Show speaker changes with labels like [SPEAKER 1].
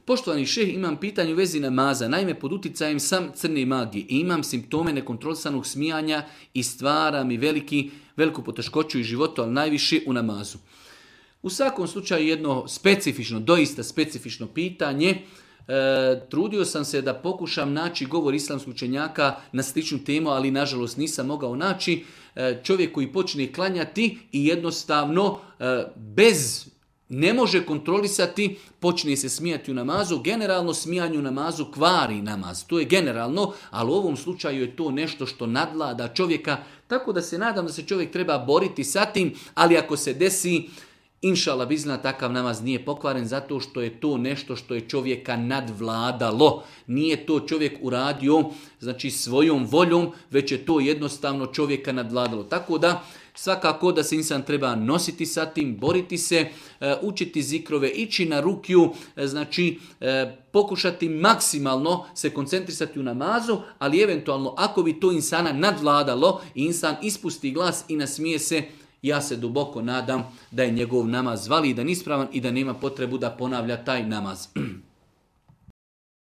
[SPEAKER 1] Poštovani šejh, imam pitanje u vezi namaza. Naime, pod uticajem sam crne magije i imam simptome nekontrolisanog smijanja i stvara mi veliku poteškoću i životu, ali najviše u namazu. U svakom slučaju jedno specifično, doista specifično pitanje. Trudio sam se da pokušam naći govor islamskog učenjaka na sličnu temu, ali nažalost nisam mogao naći. Čovjek koji počne klanjati i jednostavno ne može kontrolisati, počne se smijati u namazu. Generalno smijanje u namazu kvari namaz. To je generalno, ali u ovom slučaju je to nešto što nadvlada čovjeka. Tako da se nadam da se čovjek treba boriti sa tim, ali ako se desi, inšallah bizna, takav namaz nije pokvaren zato što je to nešto što je čovjeka nadvladalo. Nije to čovjek uradio svojom voljom, već je to jednostavno čovjeka nadvladalo. Tako da svakako da se insan treba nositi sa tim, boriti se, učiti zikrove, ići na rukju, pokušati maksimalno se koncentrisati u namazu, ali eventualno ako bi to insana nadvladalo i insan ispusti glas i nasmije se, ja se duboko nadam da je njegov namaz validan, ispravan i da nema potrebu da ponavlja taj namaz.